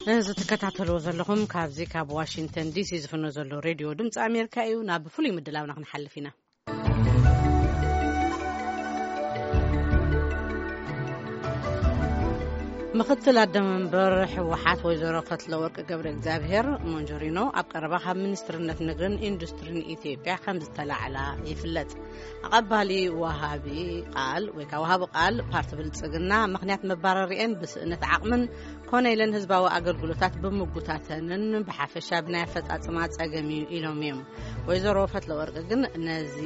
እዚ ትከታተልዎ ዘለኹም ካብዚ ካብ ዋሽንግተን ዲሲ ዝፍኖ ዘሎ ሬድዮ ድምፂ ኣሜሪካ እዩ። ናብ ፍሉይ ምድላውና ክንሓልፍ ኢና። ምኽትል ኣደመንበር ህወሓት ወይዘሮ ፈትለወርቅ ገብረ እግዚኣብሔር ሞንጆሪኖ ኣብ ቀረባ ካብ ሚኒስትርነት ንግድን ኢንዱስትሪን ኢትዮጵያ ከም ዝተላዕላ ይፍለጥ። ኣቐባሊ ወሃቢ ቃል ወይ ከዓ ወሃቢ ቃል ፓርቲ ብልጽግና ምኽንያት መባረሪኤን ብስእነት ዓቕምን ኮነ ኢለን ህዝባዊ ኣገልግሎታት ብምጉታተንን ብሓፈሻ ብናይ ኣፈጻጽማ ጸገም እዩ ኢሎም እዮም። ወይዘሮ ፈትለወርቅ ግን ነዚ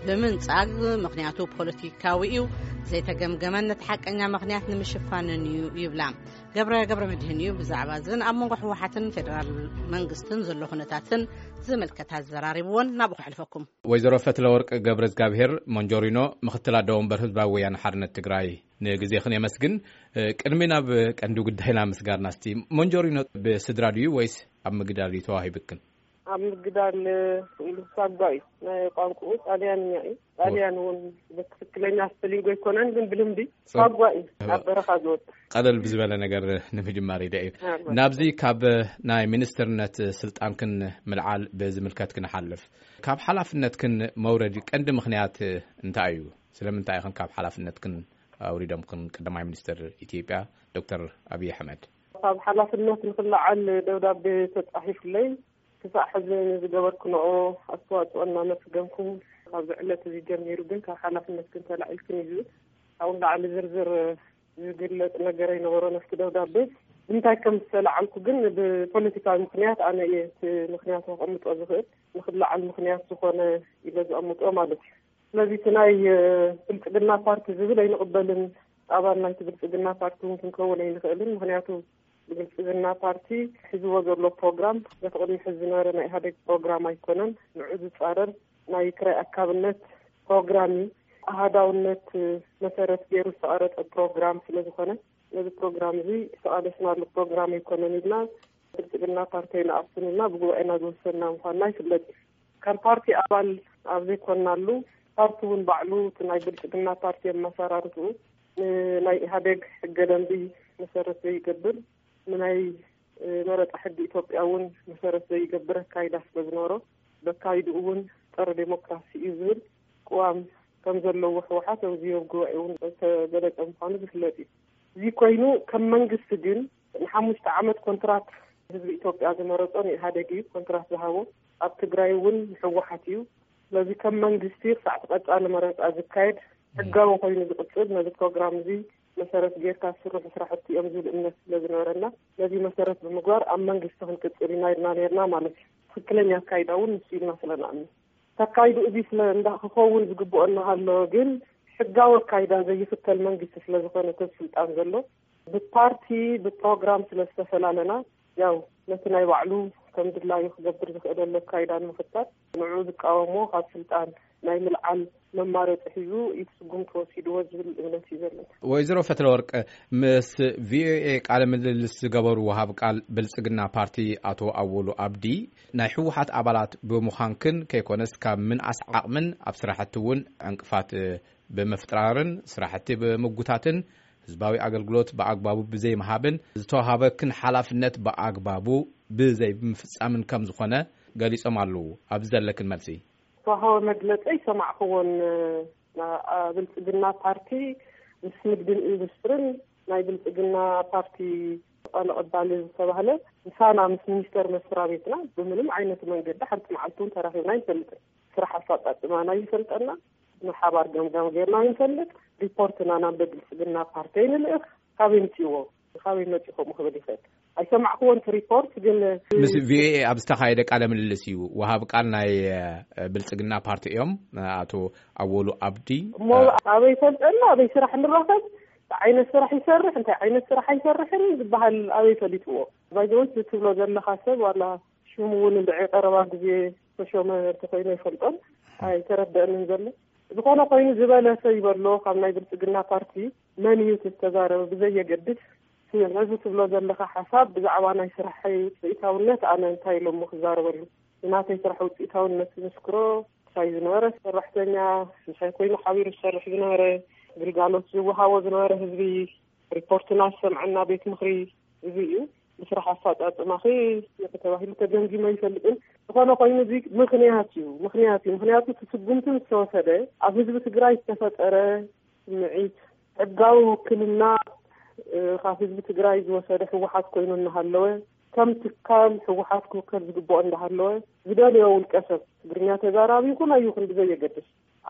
ብምንጻግ ምኽንያቱ ፖለቲካዊ እዩ፣ ዘይተገምገመን ነቲ ሓቀኛ ምኽንያት ንምሽፋንን እዩ ይብላ። ገብረ ገብረ መድህን እዩ ብዛዕባ እዝን ኣብ መንጎ ህወሓትን ፌደራል መንግስትን ዘሎ ኩነታትን ዝምልከት ኣዘራሪብዎን ናብኡ ከሕልፈኩም። ወይዘሮ ፈትለወርቅ ገብረ እግዚኣብሔር ሞንጆሪኖ፣ ምኽትል ኣደ ወንበር ህዝባዊ ወያነ ሓርነት ትግራይ፣ ንግዜኽን የመስግን። እ፣ ቅድሚ ናብ ቀንዲ ጉዳይና ምስጋርና እስቲ፣ ሞንጆሪኖ ብስድራ ድዩ ወይስ ኣብ ምግዳል እዩ ተዋሂብክን? ኣብ ምግዳል፣ እ፣ ሳጓ እዩ። ናይ ቋንቋኡ ጣልያንኛ እዩ። ጣልያን እውን ብትክክለኛ ስፐሊንግ ኣይኮነን፣ ግን ብልምዲ ጽ- ሳጓ እዩ። ኣብ በረኻ ዝወጽእ። ቀለል ብዝበለ ነገር ንምጅማር ኢለ እዩ። ኣዎ። ናብዚ ካብ ናይ ሚኒስትርነት ስልጣንክን ምልዓል ብዝምልከት ክንሓልፍ፣ ካብ ሓላፍነትክን መውረዲ ቀንዲ ምኽንያት እንታይ እዩ? ስለምንታይ ኢኽን ካብ ሓላፍነትክን ኣውሪዶምክን ቀዳማይ ሚኒስትር ኢትዮጵያ ዶክተር ኣብይ ኣሕመድ? ካብ ሓላፍነት ንክለዓል ደብዳቤ ተጻሒፉለይ፣ ክሳዕ ሕዚ ንዝገበርክንኦ ኣስተዋጽኦ እናመስገንኩ፣ ካብዚ ዕለት እዚ ጀሚሩ ግን ካብ ሓላፍነትክን ተላዒልክን እዩ ዝብል። ካብኡ ንላዕሊ ዝርዝር ዝግለጽ ነገር ኣይነበሮን ኣብቲ ደብዳቤ። ብምንታይ ከም ዝተላዓልኩ ግን ብፖለቲካዊ ምኽንያት ኣነ እየ እቲ ምኽንያት ከቐምጦ ዝኽእል። ንኽለዓል ምኽንያት ዝኾነ ኢለ ዘቐምጦ ማለት እዩ። ስለዚ እቲ ናይ፣ እ፣ ብልጽግና ፓርቲ ዝብል ኣይንቕበልን። ኣባል ናይቲ ብልጽግና ፓርቲ እውን ክንከውን ኣይንኽእልን። ምኽንያቱ ብብልጽግና ፓርቲ ሒዝዎ ዘሎ ፕሮግራም በቲ ቅድሚ ሕዚ ዝነበረ ናይ ኢህኣዴግ ፕሮግራም ኣይኮነን። ንዑ ዝጻረር ናይ ክራይ ኣካብነት ፕሮግራም እዩ። ኣሃዳውነት መሰረት ገይሩ ዝተቐረጸ ፕሮግራም ስለ ዝኾነ፣ ነዚ ፕሮግራም እዚ ዝተቓለስናሉ ፕሮግራም ኣይኮነን ኢልና ብልጽግና ፓርቲ ኣይንኣፍን ኢልና ብጉባኤና ዝወሰንና ምዃንና ይፍለጥ እዩ። ከም ፓርቲ ኣባል ኣብ ዘይኮንናሉ፣ ፓርቲ እውን ባዕሉ እቲ ናይ ብልጽግና ፓርቲ ኣመሰራርትኡ ንናይ ኢህኣዴግ ሕገ ደንቢ መሰረት ዘይገብር፣ ንናይ፣ እ፣ መረጻ ሕጊ ኢትዮጵያ እውን መሰረት ዘይገብር ኣካይዳ ስለ ዝነበሮ፣ በካይድኡ እውን ጸረ ዴሞክራሲ እዩ ዝብል ቅዋም ከም ዘለዎ ህወሓት ኣብዚ ኣብ ጉባኤ እውን ዝተገለጸ ምዃኑ ዝፍለጥ እዩ። እዚ ኮይኑ ከም መንግስቲ ግን ንሓሙሽተ ዓመት ኮንትራት ህዝቢ ኢትዮጵያ ዝመረጾ ንኢህኣዴግ እዩ ኮንትራት ዝሃቦ። ኣብ ትግራይ እውን ንህወሓት እዩ። ስለዚ ከም መንግስቲ ክሳዕ እቲ ቀጻሊ መረጻ ዝካየድ ሕጋዊ ኮይኑ ዝቕጽል ነዚ ፕሮግራም እዚ መሰረት ጌርካ ዝስርሑ ስራሕቲ እዮም ዝብል እምነት ስለ ዝነበረና ነዚ መሰረት ብምግባር ኣብ መንግስቲ ክንቅጽል ኢና ኢልና ነርና ማለት እዩ። ትክክለኛ ኣካይዳ እውን ንሱ ኢልና ስለ ንኣምን ተካይዱ እዚ ስለ እንዳ ክኸውን ዝግብኦ እናሃለወ ግን ሕጋዊ ኣካይዳ ዘይኽተል መንግስቲ ስለ ዝኾነ እቲ ስልጣን ዘሎ ብፓርቲ ብፕሮግራም ስለ ዝተፈላለና ያው ነቲ ናይ ባዕሉ ከም ድላዩ ክገብር ዝኽእለሉ ኣካይዳ ንምኽታል ንዑ ዝቃወሞ ካብ ስልጣን ናይ ምልዓል መማረፂ ሒዙ እቲ ስጉምቲ ወሲድዎ ዝብል እምነት እዩ ዘለኒ። ወይዘሮ ፈትለወርቅ ምስ ቪኦኤ ቃለ ምልልስ ዝገበሩ ወሃብ ቃል ብልጽግና ፓርቲ ኣቶ ኣወሉ ኣብዲ ናይ ህወሓት ኣባላት ብምዃንክን ከይኮነስ ካብ ምንኣስ ዓቕምን ኣብ ስራሕቲ እውን ዕንቅፋት ብምፍጥራርን ስራሕቲ ብምጉታትን ህዝባዊ ኣገልግሎት ብኣግባቡ ብዘይምሃብን ዝተዋሃበክን ሓላፍነት ብኣግባቡ ብዘይምፍጻምን ከም ዝኾነ ገሊጾም ኣለዉ። ኣብዚ ዘለክን መልሲ? ዝተዋሃበ መግለጺ ኣይሰማዕክዎን። ና-፣ ኣ-፣ ብልጽግና ፓርቲ ምስ ንግድን ኢንዱስትርን ናይ ብልጽግና ፓርቲ ተቐባሊ ዝተባህለ ምሳና ምስ ሚኒስተር መስሪያ ቤትና ብምንም ዓይነት መንገዲ ሓንቲ መዓልቲ እውን ተራኺብና ኣይንፈልጥን። ስራሕ ኣፈጻጽማና ይፈልጠና፣ ንሓባር ገምጋም ጌርና ይንፈልጥ፣ ሪፖርትና ናብ ብልጽግና ፓርቲ ንልእኽ። ካበይ ምጽእዎ? ካበይ መጺ ከምኡ ክብል ይኽእል? ኣይሰማዕክዎን እቲ ሪፖርት ግን ምስ ቪኦኤ ኣብ ዝተኻየደ ቃለ ምልልስ እዩ ወሃብ ቃል ናይ እ፣ ብልጽግና ፓርቲ እዮም ኣቶ ኣወሉ ኣብዲ። እሞ ኣበይ ፈልጠና ኣበይ ስራሕ ንራኸብ እንታይ ዓይነት ስራሕ ይሰርሕ እንታይ ዓይነት ስራሕ ኣይሰርሕን ዝበሃል ኣበይ ፈሊጥዎ? ባይዘወት ትብሎ ዘለኻ ሰብ ዋላ ሽሙ እውን እንድዒ ቀረባ ግዜ ተሾመ እንተኮይኑ ኣይፈልጦን ኣይተረደእንን ዘሎ። ዝኾነ ኮይኑ ዝበለሰ ይበሎ ካብ ናይ ብልጽግና ፓርቲ መን እዩ እቲ ዝተዛረበ ብዘየገድስ ነዚ ትብሎ ዘለኻ ሓሳብ ብዛዕባ ናይ ስራሐይ ውፅኢታውነት ኣነ እንታይ ኢሎሞ ክዛረበሉ? ንናተይ ስራሕ ውፅኢታውነት ዝምስክሮ ምሳይ ዝነበረ ሰራሕተኛ ምሳይ ኮይኑ ሓቢሩ ዝሰርሕ ዝነበረ ግልጋሎት ዝወሃቦ ዝነበረ ህዝቢ ሪፖርትና ዝሰምዐና ቤት ምኽሪ እዚ እዩ። ብስራሕ ኣፈፃፅማኺ ተባሂሉ ተገምጊሞ ይፈልጥን። ዝኾነ ኮይኑ እዚ ምኽንያት እዩ፣ ምኽንያት እዩ። ምኽንያቱ እቲ ስጉምቲ ምስ ተወሰደ ኣብ ህዝቢ ትግራይ ዝተፈጠረ ስምዒት፣ ሕጋዊ ውክልና ካብ ህዝቢ ትግራይ ዝወሰደ ህወሓት ኮይኑ እናሃለወ፣ ከም ትካል ህወሓት ክውከል ዝግብኦ እንዳሃለወ፣ ዝደልዮ ውልቀ ሰብ፣ ትግርኛ ተዛራቢ ይኹን ኣይኹን ብዘየገድስ፣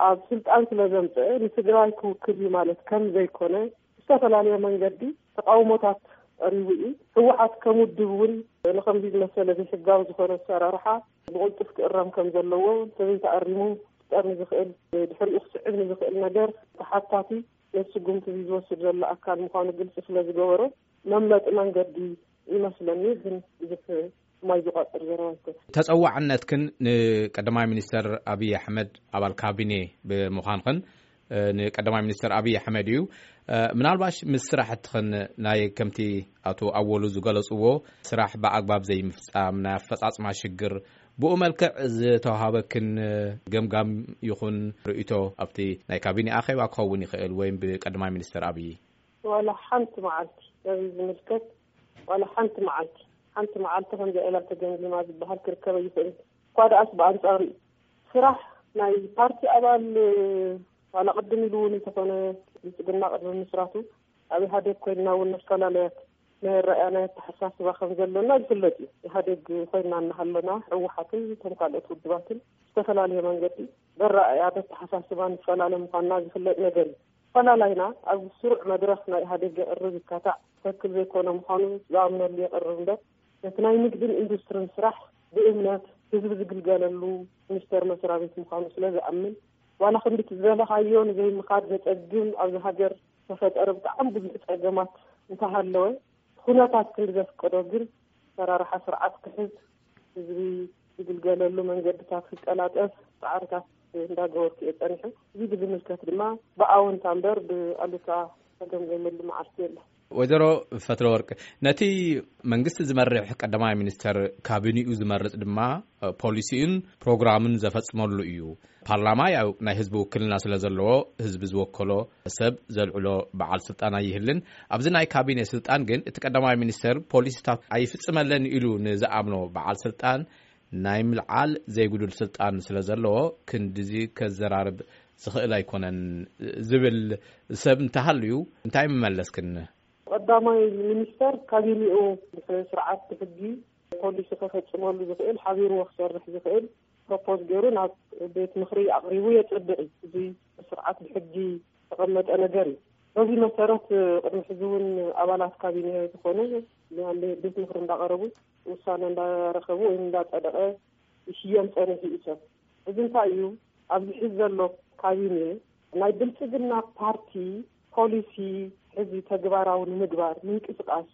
ኣብ ስልጣን ስለ ዘምፀአ ንትግራይ ክውክል እዩ ማለት ከም ዘይኮነ ብዝተፈላለየ መንገዲ ተቃውሞታት ቀሪቡ እዩ። ህወሓት ከም ውድብ እውን ንከምዚ ዝመሰለ ዘይሕጋዊ ዝኾነ ኣሰራርሓ ብቕልጡፍ ክእረም ከም ዘለዎ፣ እንተዘይተኣሪሙ ክፍጠር ንዝኽእል፣ ድሕሪኡ ክስዕብ ንዝኽእል ነገር ተሓታቲ ነቲ ስጉምቲ እዚ ዝወስድ ዘሎ ኣካል ምዃኑ ግልፂ ስለ ዝገበሮ መምለጢ መንገዲ ይመስለኒ። ግን ብዙሕ ማይ ዝቋፅር ዘረባ ይኮን። ተፀዋዕነትክን ንቀዳማይ ሚኒስተር ኣብይ ኣሕመድ ኣባል ካቢኔ ብምዃንክን፣ ንቀዳማይ ሚኒስተር ኣብይ ኣሕመድ እዩ። ምናልባሽ ምስ ስራሕትኽን ናይ ከምቲ ኣቶ ኣወሉ ዝገለጽዎ ስራሕ ብኣግባብ ዘይምፍጻም፣ ናይ ኣፈጻጽማ ሽግር፣ ብኡ መልክዕ ዝተዋሃበክን ገምጋም ይኹን ርእይቶ ኣብቲ ናይ ካቢኔ ኣኼባ ክኸውን ይኽእል ወይም ብቀዳማይ ሚኒስተር ኣብይ? ዋላ ሓንቲ መዓልቲ ነዚ ዝምልከት፣ ዋላ ሓንቲ መዓልቲ፣ ሓንቲ መዓልቲ ከምዚኣ ኢላ ተገምጊማ ዝበሃል ክርከብ ኣይኽእልን። እኳ ደኣስ ብኣንጻሩ እዩ። ስራሕ ናይ ፓርቲ ኣባል፣ ዋላ ቅድም ኢሉ እውን እንተኾነ ብልጽግና ቅድሚ ምስራቱ ኣብ ኢህኣዴግ ኮይንና እውን ንፈላለያት ናይ ኣረኣእያ ናይ ኣተሓሳስባ ከም ዘለና ዝፍለጥ እዩ። ኢህኣዴግ ኮይንና እናሃለና ህወሓትን እቶም ካልኦት ውድባትን ዝተፈላለየ መንገዲ በረኣእያ በተሓሳስባ ንፈላለ ምዃንና ዝፍለጥ ነገር እዩ። ኣፈላላይና ኣብ ስሩዕ መድረኽ ናይ ኢህኣዴግ የቕርብ ይካታዕ ትኽክል ዘይኮነ ምዃኑ ዝኣምነሉ የቕርብ እምበር፣ ነቲ ናይ ንግድን ኢንዱስትርን ስራሕ ብእምነት ህዝቢ ዝግልገለሉ ሚኒስቴር መስሪያ ቤት ምዃኑ ስለ ዝኣምን፣ ዋላ ክንዲ እቲ ዝደለኻዮ ንዘይምኻድ ዘጸግም ኣብዚ ሃገር ዝተፈጠረ ብጣዕሚ ብዙሕ ጸገማት እንተሃለወ፣ ኩነታት ክንዲ ዘፍቀዶ ግን ኣሰራርሓ ስርዓት ክሕዝ፣ ህዝቢ ዝግልገለሉ መንገድታት ክቀላጠፍ ጻዕርታት እንዳገበርኩ እየ ጸኒሐ። እዚ ብዝምልከት ድማ ብኣወንታ እምበር ብኣሉታ ተገምገመሉ መዓልቲ የለን። ወይዘሮ ፈትለወርቅ፣ ነቲ መንግስቲ ዝመርሕ ቀዳማይ ሚኒስተር ካቢኒኡ ዝመርጽ ድማ ፖሊሲኡን ፕሮግራምን ዘፈጽመሉ እዩ። ፓርላማ ያው ናይ ህዝቢ ውክልና ስለ ዘለዎ፣ ህዝቢ ዝወከሎ ሰብ ዘልዕሎ በዓል ስልጣን ኣይህልን። ኣብዚ ናይ ካቢኔ ስልጣን ግን እቲ ቀዳማይ ሚኒስተር ፖሊሲታት ኣይፍጽመለን ኢሉ ንዝኣምኖ በዓል ስልጣን ናይ ምልዓል ዘይጉዱል ስልጣን ስለ ዘለዎ፣ ክንድዚ ከዘራርብ ዝኽእል ኣይኮነን ዝብል ሰብ እንተሃልዩ እንታይ ምመለስክን? ቀዳማይ ሚኒስተር ካቢኔኡ ብስርዓት ብሕጊ ፖሊሲ ከፈጽመሉ ዝኽእል፣ ሓቢርዎ ክሰርሕ ዝኽእል ፕሮፖዝ ገይሩ ናብ ቤት ምኽሪ ኣቕሪቡ የጽድቕ እዩ። እዚ ብስርዓት ብሕጊ ዝተቐመጠ ነገር እዩ። በዚ መሰረት ቅድሚ ሕዚ እውን ኣባላት ካቢኔ ዝኾኑ ናብ ቤት ምኽሪ እንዳቐረቡ ውሳነ እንዳረኸቡ ወይ እንዳጸደቐ ይሽየም ጸኒሑ እዩ ሰብ። እዚ እንታይ እዩ? ኣብዚ ሕዚ ዘሎ ካቢኔ ናይ ብልጽግና ፓርቲ ፖሊሲ ሕዚ ተግባራዊ ንምግባር ምንቅስቃስ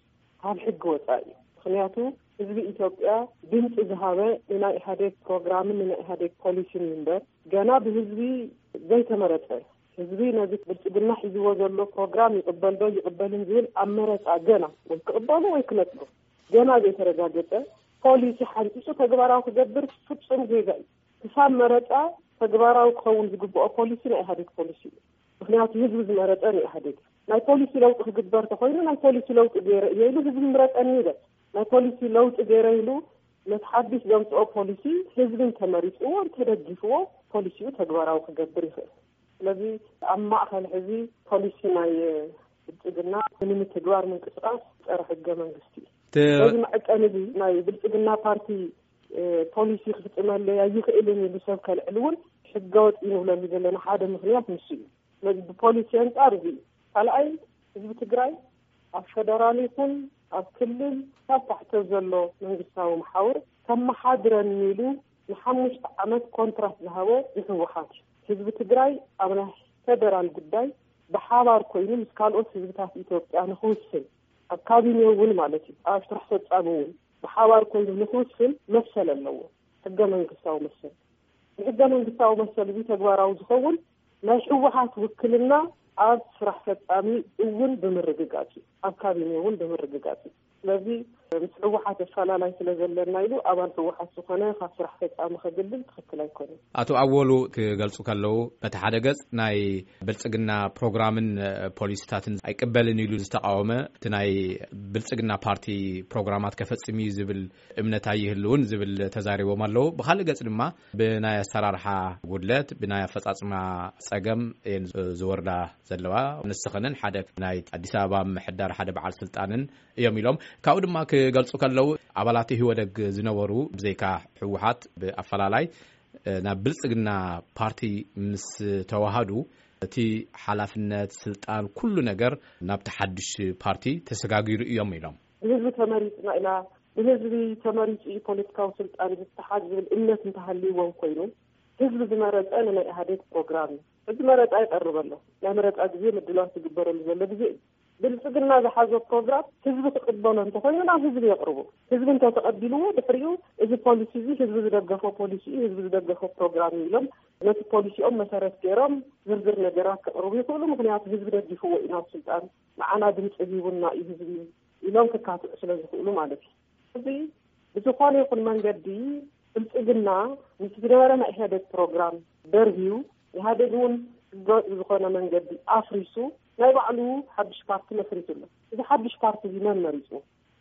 ካብ ሕጊ ወጻኢ እዩ። ምኽንያቱ ህዝቢ ኢትዮጵያ ድምፂ ዝሃበ ንናይ ኢህኣዴግ ፕሮግራምን ንናይ ኢህኣዴግ ፖሊሲን እዩ እምበር፣ ገና ብህዝቢ ዘይተመረፀ፣ ህዝቢ ነዚ ብልፅግና ሒዝዎ ዘሎ ፕሮግራም ይቕበል ዶ ይቕበልን ዝብል ኣብ መረፃ ገና ወይ ክቕበሉ ወይ ክነፅሉ ገና ዘይተረጋገፀ ፖሊሲ ሓንፂፁ ተግባራዊ ክገብር ፍፁም ጌጋ እዩ። ክሳብ መረፃ ተግባራዊ ክኸውን ዝግብኦ ፖሊሲ ናይ ኢህኣዴግ ፖሊሲ እዩ። ምኽንያቱ ህዝቢ ዝመረፀ ንኢህኣዴግ። ናይ ፖሊሲ ለውጢ ክግበር ተኾይኑ ናይ ፖሊሲ ለውጢ ገይረ እየ ኢሉ ህዝቢ ምረፀኒ ይበል። ናይ ፖሊሲ ለውጢ ገይረ ኢሉ ነቲ ሓድሽ ዘምፅኦ ፖሊሲ ህዝቢ እንተመሪፅዎ እንተደጊፍዎ ፖሊሲኡ ተግባራዊ ክገብር ይኽእል። ስለዚ ኣብ ማእኸል ሕዚ ፖሊሲ ናይ ብልፅግና ንምትግባር ምንቅስቃስ ፀረ ሕገ መንግስቲ እዩ። እቲ በዚ መዐቀኒ እዚ ናይ ብልፅግና ፓርቲ ፖሊሲ ክፍፅመለይ ኣይኽእልን ኢሉ ሰብ ከልዕል እውን ሕገወጥ እዩ ንብለሉ ዘለና ሓደ ምኽንያት ንሱ እዩ። ስለዚ ብፖሊሲ ኣንጻር እዚ እዩ። ካልኣይ፣ ህዝቢ ትግራይ ኣብ ፈደራል ይኹን ኣብ ክልል ካብ ታሕቲ ዘሎ መንግስታዊ መሓውር ከመሓድረኒ ኢሉ ንሓሙሽተ ዓመት ኮንትራት ዝሃቦ ንህወሓት እዩ። ህዝቢ ትግራይ ኣብ ናይ ፈደራል ጉዳይ ብሓባር ኮይኑ ምስ ካልኦት ህዝብታት ኢትዮጵያ ንክውስን፣ ኣብ ካቢኔ እውን ማለት እዩ፣ ኣብ ስራሕ ፈጻሚ እውን ብሓባር ኮይኑ ንክውስን መሰል ኣለዎ፣ ሕገ መንግስታዊ መሰል። ብሕገ መንግስታዊ መሰል እዚ ተግባራዊ ዝኸውን ናይ ህወሓት ውክልና ኣብ ስራሕ ፈጻሚ እውን ብምርግጋጽ እዩ፣ ኣብ ካቢኔ እውን ብምርግጋጽ እዩ። ስለዚ ምስ ህወሓት ኣፈላላይ ስለ ዘለና ኢሉ ኣባል ህወሓት ዝኾነ ካብ ስራሕ ፈጻሚ ከግልል ትኽክል ኣይኮነን። ኣቶ ኣወሉ ክገልጹ ከለዉ፣ በቲ ሓደ ገጽ ናይ ብልጽግና ፕሮግራምን ፖሊሲታትን ኣይቅበልን ኢሉ ዝተቃወመ፣ እቲ ናይ ብልጽግና ፓርቲ ፕሮግራማት ከፈጽም እዩ ዝብል እምነት ኣይህልውን ዝብል ተዛሪቦም ኣለዉ። ብኻልእ ገጽ ድማ ብናይ ኣሰራርሓ ጉድለት፣ ብናይ ኣፈጻጽማ ጸገም እየን ዝወርዳ ዘለዋ። ንስኽንን ሓደ ናይ ኣዲስ ኣበባ ምሕዳር ሓደ በዓል ስልጣንን እዮም ኢሎም። ካብኡ ድማ ክገልጹ ከለዉ፣ ኣባላት ህወደግ ዝነበሩ ብዘይካ ህወሓት ብኣፈላላይ ናብ ብልጽግና ፓርቲ ምስ ተዋሃዱ፣ እቲ ሓላፍነት፣ ስልጣን፣ ኩሉ ነገር ናብቲ ሓድሽ ፓርቲ ተሰጋጊሩ እዮም ኢሎም። ብህዝቢ ተመሪጽና ኢና፣ ብህዝቢ ተመሪጹ እዩ ፖለቲካዊ ስልጣን ዝተሓዝ ዝብል እምነት እንተሃልይዎም ኮይኑ፣ ህዝቢ ዝመረጸ ንናይ ኢህኣዴግ ፕሮግራም እዩ። ሕጂ መረጻ ይቐርብ ኣሎ። ናይ መረጻ ግዜ ምድላው ዝግበረሉ ዘሎ ግዜ እዩ። ብልጽግና ዝሓዞ ፕሮግራም ህዝቢ ክቕበሎ እንተኾይኑ ናብ ህዝቢ የቕርቡ። ህዝቢ እንተተቐቢልዎ ድሕሪኡ እዚ ፖሊሲ እዚ ህዝቢ ዝደገፎ ፖሊሲ እዩ፣ ህዝቢ ዝደገፎ ፕሮግራም እዩ ኢሎም ነቲ ፖሊሲኦም መሰረት ገይሮም ዝርዝር ነገራት ከቕርቡ ይኽእሉ። ምኽንያቱ ህዝቢ ደጊፍዎ እዩ ናብ ስልጣን፣ ንዓና ድምፂ ሂቡና እዩ ህዝቢ ኢሎም ክካትዑ ስለ ዝኽእሉ ማለት እዩ። እዚ ብዝኾነ ይኹን መንገዲ ብልጽግና ምስ ዝነበረ ናይ ኢህኣዴግ ፕሮግራም ደርብዩ፣ ኢህኣዴግ እውን ህገወጥ ብዝኾነ መንገዲ ኣፍሪሱ ናይ ባዕሉ ሓድሽ ፓርቲ መስሪቱ ኣሎ። እዚ ሓድሽ ፓርቲ እዚ መን መሪጹ?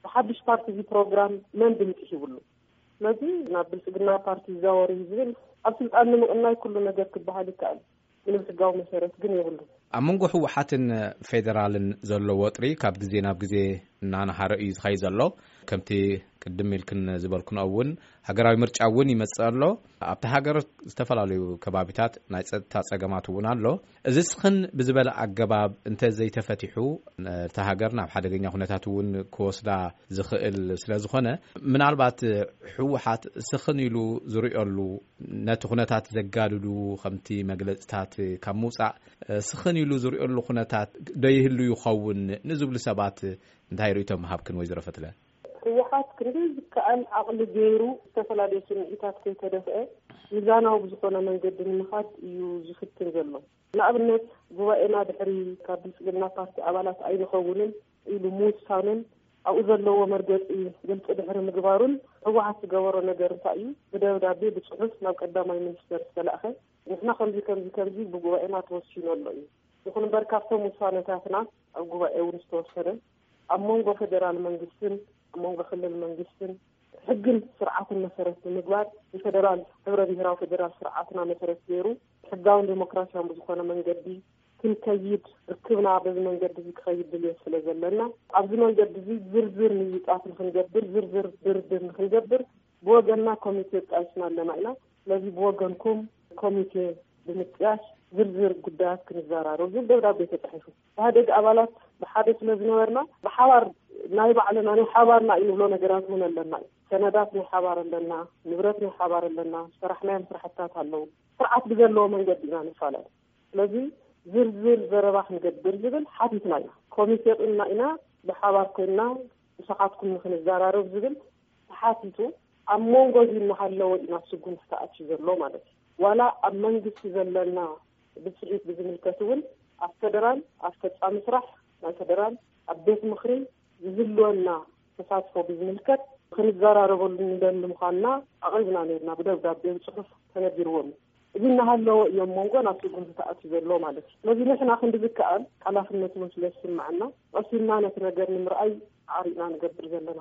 ብሓድሽ ፓርቲ እዚ ፕሮግራም መን ድምፂ ሂብሉ? ስለዚ ናብ ብልጽግና ፓርቲ ይዛወር እዩ ዝብል ኣብ ስልጣን ንምቕናይ ኩሉ ነገር ክበሃል ይከኣል። ምንም ሕጋዊ መሰረት ግን የብሉ። ኣብ መንጎ ህወሓትን ፌዴራልን ዘሎ ወጥሪ ካብ ግዜ ናብ ግዜ እናነሃረ እዩ ዝኸይ ዘሎ። ከምቲ ቅድም ኢልክን ዝበልክንኦ እውን ሃገራዊ ምርጫ እውን ይመጽእ ኣሎ። ኣብቲ ሃገር ዝተፈላለዩ ከባቢታት ናይ ጸጥታ ጸገማት እውን ኣሎ። እዚ ስኽን ብዝበለ ኣገባብ እንተ ዘይተፈቲሑ፣ እታ ሃገር ናብ ሓደገኛ ኩነታት እውን ክወስዳ ዝኽእል ስለ ዝኾነ፣ ምናልባት ህወሓት ስኽን ኢሉ ዝርእየሉ፣ ነቲ ኩነታት ዘጋድዱ ከምቲ መግለጽታት ካብ ምውጻእ፣ ስኽን ኢሉ ዝርእየሉ ኩነታት ዶ ይህሉ ይኸውን ንዝብሉ ሰባት እንታይ ርእይቶ ምሃብክን ወይዘሮ ፈትለ? ህወሓት ክንዲ ዝከኣል ዓቕሊ ገይሩ ዝተፈላለዩ ስምዒታት ከይተደፍአ ሚዛናዊ ብዝኾነ መንገዲ ንምኻድ እዩ ዝፍትን ዘሎ። ንኣብነት ጉባኤና ድሕሪ ካብ ብልጽግና ፓርቲ ኣባላት ኣይንኸውንን ኢሉ ምውሳኑን ኣብኡ ዘለዎ መርገጺ ግልጺ ድሕሪ ምግባሩን ህወሓት ዝገበሮ ነገር እንታይ እዩ? ብደብዳቤ ብጽሑፍ ናብ ቀዳማይ ሚኒስተር ዝተላእኸ ንሕና ከምዚ ከምዚ ከምዚ ብጉባኤና ተወሲኑ ኣሎ እዩ። ይኹን እምበር ካብቶም ውሳነታትና ኣብ ጉባኤ እውን ዝተወሰነ ኣብ መንጎ ፌደራል መንግስትን ኣብ መንጎ ክልል መንግስትን ሕግን ስርዓትን መሰረት ብምግባር ንፌደራል፣ ሕብረ ብሄራዊ ፌደራል ስርዓትና መሰረት ገይሩ ሕጋውን ዴሞክራሲያውን ብዝኾነ መንገዲ ክንከይድ ርክብና በዚ መንገዲ እዚ ክኸይድ ድልየት ስለ ዘለና ኣብዚ መንገዲ እዚ ዝርዝር ምይይጣት ንክንገብር ዝርዝር ድርድር ንክንገብር ብወገንና ኮሚቴ ጣይስና ኣለና ኢና። ስለዚ ብወገንኩም ኮሚቴ ብምጥያሽ ዝርዝር ጉዳያት ክንዘራረብ ዝብል ደብዳቤ ተፃሒፉ። ኢህኣዴግ ኣባላት ብሓደ ስለ ዝነበርና ብሓባር ናይ ባዕልና ናይ ሓባርና እዩ ንብሎ ነገራት እውን ኣለና እዩ። ሰነዳት ናይ ሓባር ኣለና፣ ንብረት ናይ ሓባር ኣለና፣ ዝሰራሕናዮም ስራሕታት ኣለዉ። ስርዓት ብዘለዎ መንገዲ ኢና ንፈላለ። ስለዚ ዝርዝር ዘረባ ክንገብር ዝብል ሓቲትና ኢና። ኮሚቴ ቁና ኢና ብሓባር ኮይንና ምሳኻትኩም ንክንዘራረብ ዝብል ተሓቲቱ ኣብ መንጎ እዚ እናሃለወ እዩ ናብ ስጉምቲ ተኣትዩ ዘሎ ማለት እዩ። ዋላ ኣብ መንግስቲ ዘለና ብፅሒት ብዝምልከት እውን ኣብ ፌደራል ኣብ ፈፃሚ ስራሕ ናይ ፌደራል ኣብ ቤት ምኽሪ ዝህልወና ተሳትፎ ብዝምልከት ክንዘራረበሉ ንደሊ ምዃንና ኣቕሪብና ነርና። ብደብዳቤ ብፅሑፍ ተነጊርዎም እዩ። እዚ እናሃለወ እዮም መንጎ ናብ ስጉምቲ ተኣትዩ ዘሎ ማለት እዩ። ስለዚ ንሕና ክንዲ ዝከኣል ሓላፍነት እውን ስለ ዝስምዐና ቀሲልና ነቲ ነገር ንምርኣይ ኣዕሪቕና ንገብር ዘለና።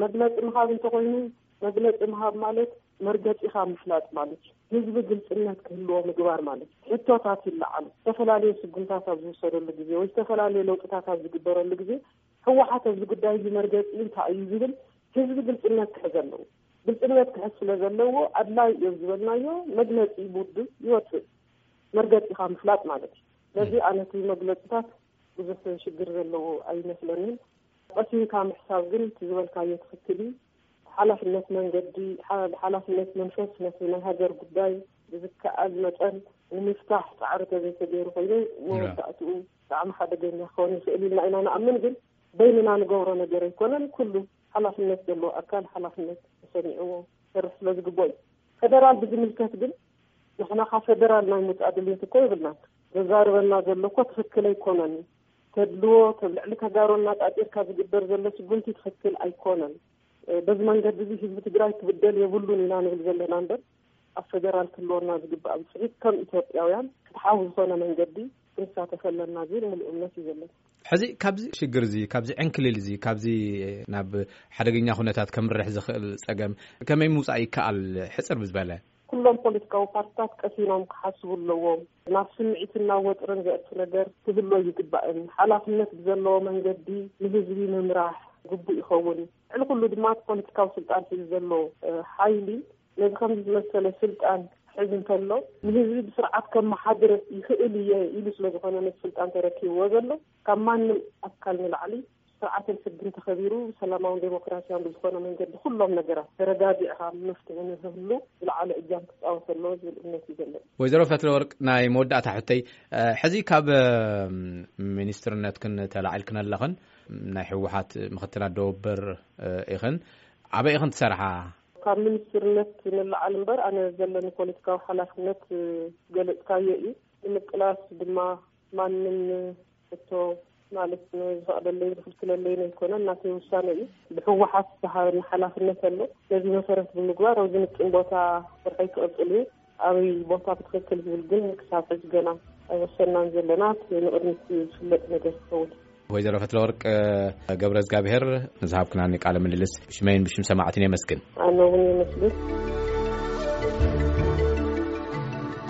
መግለፂ ምሃብ እንተኾይኑ መግለፂ ምሃብ ማለት መርገፂኻ ምፍላጥ ማለት እዩ። ህዝቢ ግልፅነት ክህልዎ ምግባር ማለት እዩ። ሕቶታት ይለዓሉ። ዝተፈላለዩ ስጉምታት ኣብ ዝውሰደሉ ግዜ ወይ ዝተፈላለዩ ለውጥታት ኣብ ዝግበረሉ ግዜ ህወሓት ኣብዚ ጉዳይ እዚ መርገፂ እንታይ እዩ ዝብል ህዝቢ ግልፅነት ክሕዝ ኣለዎ። ግልፅነት ክሕዝ ስለ ዘለዎ ኣድላይ እዮም ዝበልናዮ መግለፂ ብውድብ ይወፅእ። መርገፂኻ ምፍላጥ ማለት እዩ። ስለዚ ኣነ እቲ መግለፅታት ብዙሕ ሽግር ዘለዎ ኣይመስለንን። ቀሲንካ ምሕሳብ ግን እቲ ዝበልካዮ ትኽክል እዩ። ሓላፍነት መንገዲ ሓላፍነት መንፈስ ነቲ ናይ ሃገር ጉዳይ ብዝከኣል መጠን ንምፍታሕ ፃዕሪ ተዘይተገይሩ ኮይኑ መወዳእትኡ ብጣዕሚ ሓደገኛ ክኸውን ይኽእል ኢልና ኢና ንኣምን። ግን በይንና ንገብሮ ነገር ኣይኮነን። ኩሉ ሓላፍነት ዘለዎ ኣካል ሓላፍነት ተሰሚዕዎ ክሰርሕ ስለ ዝግብኦ እዩ። ፌደራል ብዝምልከት ግን ንሕና ካብ ፌደራል ናይ ምውፃእ ድልየት እኮ የብልናን። ዘዛርበና ዘሎ እኮ ትኽክል ኣይኮነን። ተድልዎ ተብ ልዕሊ ተጋሩ እናጣጢርካ ዝግበር ዘሎ ስጉምቲ ትኽክል ኣይኮነን። በዚ መንገዲ እዚ ህዝቢ ትግራይ ክብደል የብሉን ኢና ንብል ዘለና እምበር፣ ኣብ ፌደራል ክህልወና ዝግባእ ብፅሒት ከም ኢትዮጵያውያን ፍትሓዊ ዝኾነ መንገዲ ክንሳተፍ ኣለና ዝብል ምሉእ እምነት እዩ ዘለና። ሕዚ ካብዚ ሽግር እዚ፣ ካብዚ ዕንክሊል እዚ፣ ካብዚ ናብ ሓደገኛ ኩነታት ከምርሕ ዝኽእል ጸገም ከመይ ምውጻእ ይከኣል? ሕጽር ብዝበለ። ኩሎም ፖለቲካዊ ፓርትታት ቀሲኖም ክሓስቡ ኣለዎም። ናብ ስምዒትን ናብ ወጥርን ዘእቱ ነገር ክህሉ ይግባእን። ሓላፍነት ብዘለዎ መንገዲ ንህዝቢ ምምራሕ ግቡእ ይኸውን። ልዕሊ ኩሉ ድማ እቲ ፖለቲካዊ ስልጣን ሒዙ ዘሎ ሓይሊ ነዚ ከምዚ ዝመሰለ ስልጣን ክሕዝ እንከሎ፣ ንህዝቢ ብስርዓት ከመሓድር ይኽእል እየ ኢሉ ስለ ዝኾነ ነቲ ስልጣን ተረኪብዎ ዘሎ፣ ካብ ማንም ኣካል ንላዕሊ ስርዓትን ሕግን ተኸቢሩ ብሰላማውን ዴሞክራሲያውን ብዝኾነ መንገዲ ኩሎም ነገራት ተረጋጊዕካ መፍትሒ ንክህሉ ዝለዓለ እጃም ክፃወት ኣለዎ ዝብል እምነት እዩ ዘለኒ። ወይዘሮ ፈትለወርቅ፣ ናይ መወዳእታ ሕቶይ፣ ሕዚ ካብ ሚኒስትርነትክን ተላዒልክን ኣለኽን፣ ናይ ህወሓት ምኽትል ኣደወበር ኢኽን። ኣበይ ኢኽን ትሰርሓ? ካብ ሚኒስትርነት ንለዓል እምበር፣ ኣነ ዘለኒ ፖለቲካዊ ሓላፍነት ዝገለፅካዮ እዩ። ንምቅላስ ድማ ማንም እቶ ማለት ዝፈቕደለይን ዝኽልክለለይን ኣይኮነን፣ ናተይ ውሳነ እዩ። ብህወሓት ዝተሃበኒ ሓላፍነት ኣሎ። ነዚ መሰረት ብምግባር ኣብዚ ምጥን ቦታ ስርሐይ ክቕፅል እየ። ኣበይ ቦታ ብትኽክል ዝብል ግን ክሳብ ሕዚ ገና ኣይወሰናን ዘለና። ንቕድሚት ዝፍለጥ ነገር ክኸውን። ወይዘሮ ፈትለወርቅ ገብረ እግዚኣብሔር፣ ንዝሃብክናኒ ቃለ ምልልስ ብሽመይን ብሽም ሰማዕትን የመስግን። ኣነ እውን የመስግን።